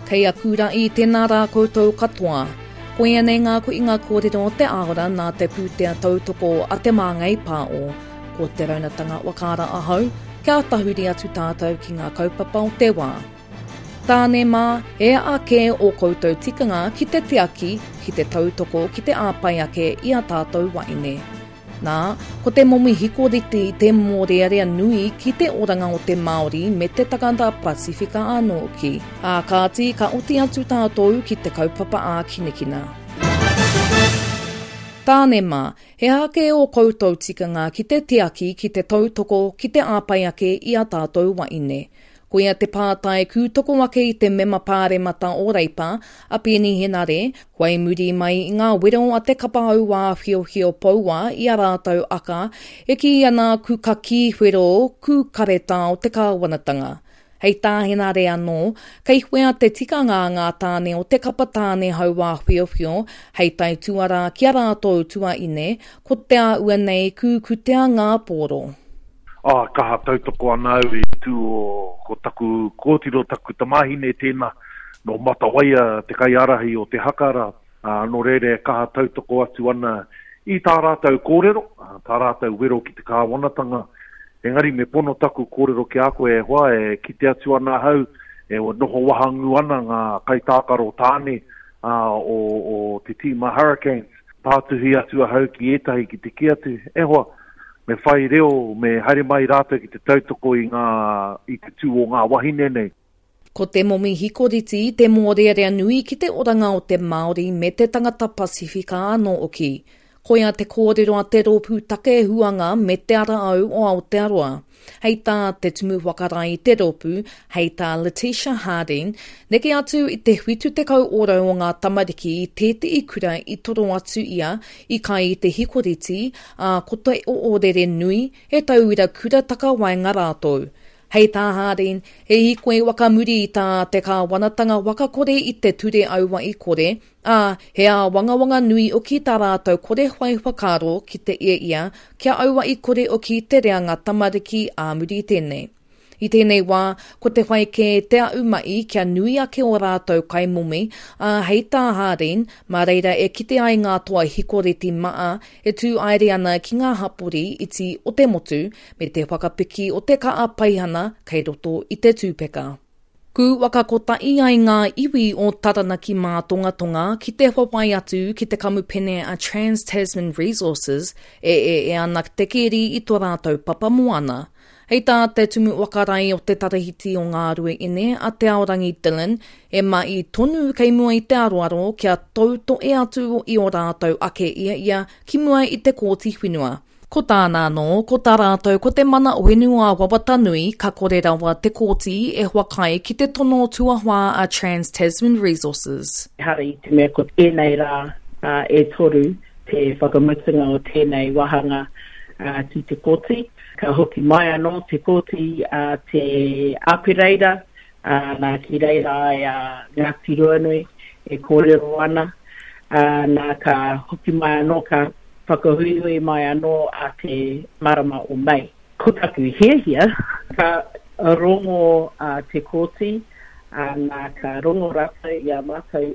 Kei aku ra'i tēnā rā koutou katoa. Koia nei ngā kuinga kōrero o te āora nā te pūtea tautoko a Te Māngai Pāo. Ko Te Raunatanga Wakaara ahau, kia tahuri atu tātou ki ngā kaupapa o te wā. Tāne mā, e a kē ō koutou tikanga ki te tiaki, ki te tautoko, ki te āpai ake i a tātou waeine. Nā, ko te momi hikoriti te mōrearea nui ki te oranga o te Māori me te takata Pasifika anō hoki. Ā kāti, ka oti atu tātou ki te kaupapa ākinakina. Tāne mā, he aha kē ō koutou tikanga ki te tiaki, ki te tautoko, ki te āpai ake i a tātou waeine? Koia te pātai kūtoko ake i te mema pāremata o Reipa, a Peeni Henare, whai muri mai i ngā wero a te kapa auāwhiowhio poua i a rātou aka e kī ana ku kakī whero ku karetao te kāwanatanga. Hei tā Henare anō, kei whea te tikanga a ngā tāne o te kapa tāne hauāwhiowhio hei taituarā ki a rātou tuaine, ko te āua nei ku kutea ngā pōro. Ā, kaha tautoko ana au i tū o, ko taku kōtiro, taku tamāhine tēnā, nō Matawaia te kaiārahi o te haka rā, ā, nō reira e kaha tautoko atu ana i tā rātou kōrero, tā rātou wero ki te kāwanatanga. Engari me pono taku kōrero ki a koe e hoa, e kite atu ana ahau, e noho wahangū ana ngā kaitākaro tāne, ā, o, o te tīma Hurricanes. Pātuhi atu ahau ki ētahi ki te kī atu, e hoa, me whai reo, me haere mai rātou ki te tautoko i ngā, i te tū o ngā wahine nei. Ko te momi hikoriti te mōrearea nui ki te oranga o te Māori me te tangata Pasifika anō hoki. Koia te kōrero a te Rōpū Take Huanga me Te Ara Au o Aotearoa. Hei tā te Tumu Whakarae i te rōpū, hei tā Letitia Harding, neke atu i te 70 ōrau o ngā tamariki i tētehi kura i toro atu ia i kai i te hikoriti, ā, ko te oorere nui, he tauira kura takawaenga rātou. Hei tā Harding, he hīkoi wakamuri i tā te kāwanatanga wakakore i te ture auahi kore, Ā, he āwangawanga nui oki tā rātou kore whai whakaaro ki te ia ia kia auahi kore oki te reanga tamariki ā muri i tēnei. I tēnei wā, ko te whai kē te aʻu maʻi kia nui ake ō rātou kaimomi, ā, hei tā Hardin, mā reira e kite ai ngā toa hikoreti maa e tū aere ana ki ngā hapori iti o te motu me te whakapiki o te kaa paihana kei roto i te tūpeka. Ku whakakotahi ai ngā iwi o Taranaki Mātongatonga ki te whawhai atu ki te kamupene a Trans Tasman Resources e ee ana te keri i to rātou papa moana. Hei tā te Tumu Whakarae o te Tarahiti o Ngāruaine a Te Aorangi Dillon, e mahi tonu kei mua i te aroaro kia tautohe atu i o rātou ake ia ia ki mua i te Kōti Whenua. Ko tāna anō, ko tā rātou ko te mana whenua wawata nui ka kore rawa te kōti e whakaae ki te tono tuawhā a Trans Tasman Resources. Ehara i te mea ko tēnei rā e toru te whakamutunga o tēnei wāhanga ki te kōti. Ka hoki mai anō te kōti a te Āpereira, nā ki reira ai a Ngāti Ruanui e kōrero ana, nā ka hoki mai anō ka whakahuihui mai anō a te marama o Mei. Ko taku hiahia, ka rongo a Te Kooti, nā ka rongo rātou i a mātou.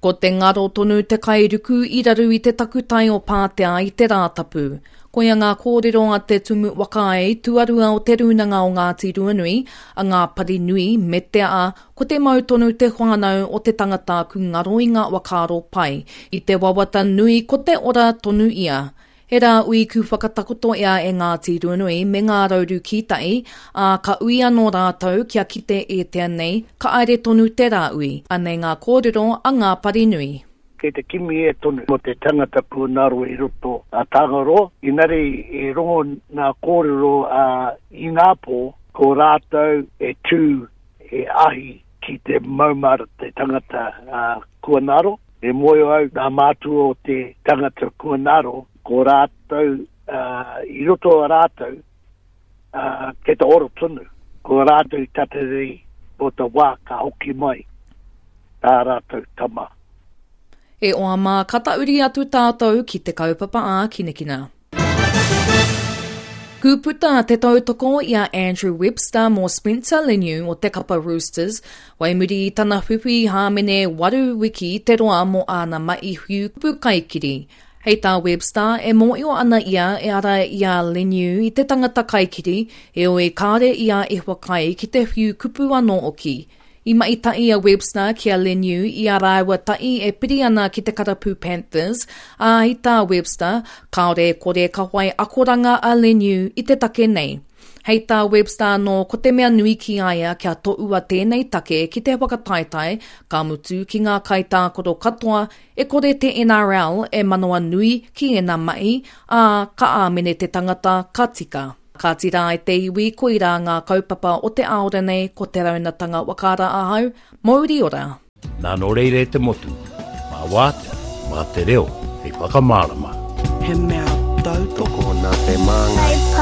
Ko te ngaro tonu te kairuku i raru i te takutai o Pātea i te Rātapu. Koia ngā kōrero a te Tumu Whakaae tuarua o Te Rūnanga o Ngāti Ruanui, a Ngā Parinui, me te aha, ko te mau tonu te whānau o te tangata ku ngaro i ngā whakaaro pai, i te wawata nui ko te ora tonu ia. He rā ui ku whakatakoto ea e Ngāti Ruanui me Ngā Rauru Kītahi, ā, ka ui anō rātou kia kite ētea nei, ka aere tonu te rā ui. Anei ngā kōrero a Ngā Parinui. Kei te kimi e tonu mo te tangata pūnaro i roto a Tangaroa, inari i rongo nga kōrero a Inapō, ko rātou e tū he ahi ki te maumara te tangata kua ngaro. E mōhio au ngā mātua o te tangata kua ngaro, ko rātou, i roto a rātou, kei te ora tonu. Ko rātou i tatari mō te wā ka hoki mai tā rātou tama. E oa mā, ka tauri atu tātou ki te kaupapa ākinakina. Kūputa te tautoko i a Andrew Webster mō Spencer Leniu o te kapa Roosters, wai muri i tana whiwhi hāmene waru wiki te roa mō āna mahi whiu kupu kaikiri. Hei tā Webster, e mōio ana ia e ara i a Leniu i te tangata kaikiri, heoi kāore ia e whakaae ki te whiu kupu anō hoki. I mahi tahi a Webster ki a Leniu i a rāua tahi e piri ana ki te karapu Panthers, ā, i tā Webster, kāore e kore ka whai akoranga a Leniu i te take nei. Hei tā Webster anō ko te mea nui ki a ia kia tohua tēnei take ki te whakataetae, ka mutu ki ngā kaitākaro katoa, e kore te NRL e manawanui ki ēnā mahi, ā, ka āmene te tangata ka tika. Kāti rā e te iwi, koirā ngā kaupapa o te aora nei, ko Te Raunatanga Wakaara ahau, mouri ora! Nā nō reira e te motu, mā wātea, mā te reo hei whakamārama. He mea tautoko nā te Māngai.